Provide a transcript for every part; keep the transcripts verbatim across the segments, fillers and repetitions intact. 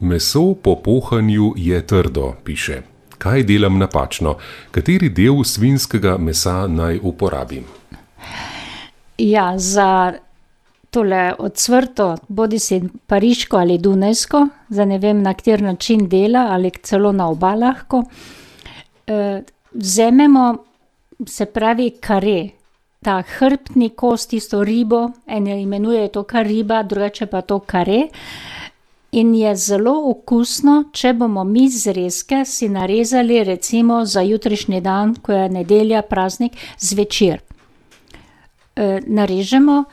Meso po pohanju je trdo, piše. Kaj delam napačno? Kateri del svinjskega mesa naj uporabim? Ja, za tole ocvrto, bodi si pariško ali dunajsko, za ne vem, na kateri način dela ali celo na oba lahko, eh, vzememo, se pravi, kare. Ta hrbtni kost, tisto ribo, ene imenuje to kar riba, drugače pa to kare. In je zelo okusno, če bomo mi zrezke si narezali recimo za jutrišnji dan, ko je nedelja, praznik, zvečer. E, narežemo,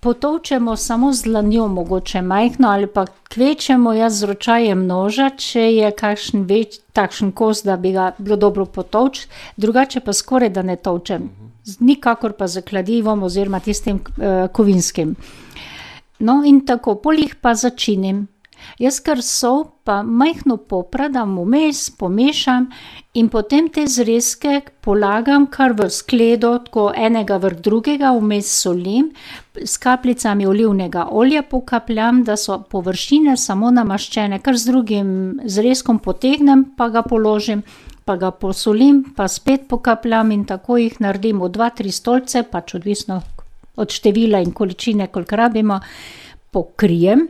potolčemo samo z dlanjo, mogoče majhno, ali pa kvečemo jaz z ročajem noža, če je kakšen več, takšen kos, da bi ga bilo dobro potolč, drugače pa skoraj da ne tolčem. Nikakor pa z kladivom oziroma tistim uh, kovinskim. No in tako, pol jih pa začinim. Jaz kar sol pa majhno popradam vmes, pomešam in potem te zrezke polagam kar v skledo, tako enega vrh drugega, vmes solim, s kapljicami olivnega olja pokapljam, da so površine samo namaščene, kar z drugim zrezkom potegnem, pa ga položim, pa ga posolim, pa spet pokapljam in tako jih naredim v dva, tri stolce, pač odvisno od števila in količine, koliko rabimo, pokrijem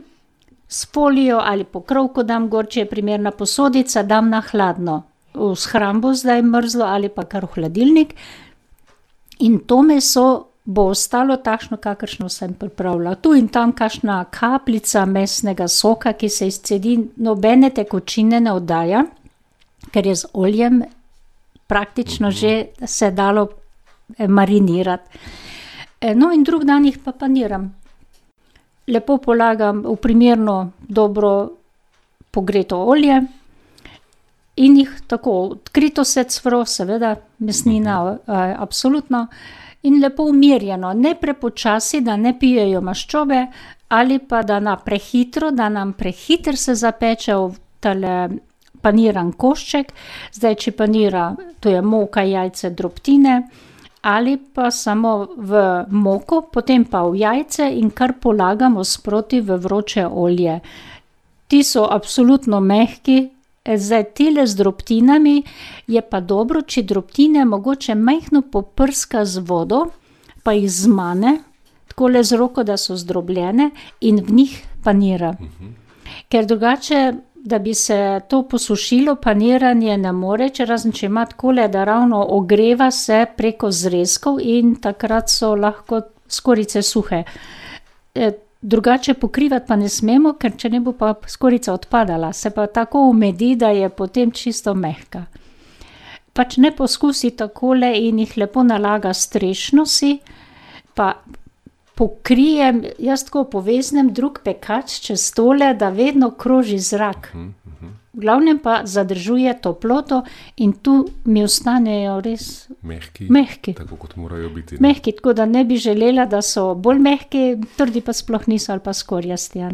s folijo ali pokrovko dam gor, če je primerna posodica, dam na hladno, v shrambo zdaj mrzlo ali pa kar v hladilnik in to meso bo ostalo takšno, kakršno sem pripravila. Tu in tam kakšna kapljica mesnega soka, ki se izcedi, nobene tekočine ne oddaja, ker je z oljem praktično že se dalo marinirati. No in drug dan jih pa paniram. Lepo polagam v primerno dobro pogreto olje in jih tako odkrito se cvro, seveda mesnina, absolutno, in lepo umirjeno, ne prepočasi, da ne pijejo maščobe, ali pa da na prehitro, da nam prehiter se zapeče v tale paniran košček, zdaj če panira, to je moka, jajce, drobtine, ali pa samo v moko, potem pa v jajce in kar polagamo sproti v vroče olje. Ti so absolutno mehki, zdaj tile z drobtinami je pa dobro, če drobtine mogoče majhno poprska z vodo, pa jih zmane, takole z roko, da so zdrobljene in v njih panira. Ker drugače, da bi se to posušilo, paniranje ne more, če razen če ima takole, da ravno ogreva se preko zrezkov in takrat so lahko skorjice suhe. E, drugače pokrivati pa ne smemo, ker če ne bo pa skorjica odpadala, se pa tako umedi, da je potem čisto mehka. Pač ne poskusi takole in jih lepo nalaga strešno si, pa pokrijem, jaz tako poveznem drug pekač čez tole, da vedno kroži zrak. V glavnem pa zadržuje toploto in tu mi ostanejo res mehki, mehki. Tako kot morajo biti. Ne? Mehki, tako da ne bi želela, da so bolj mehki, trdi pa sploh niso ali pa skorjasti, ne.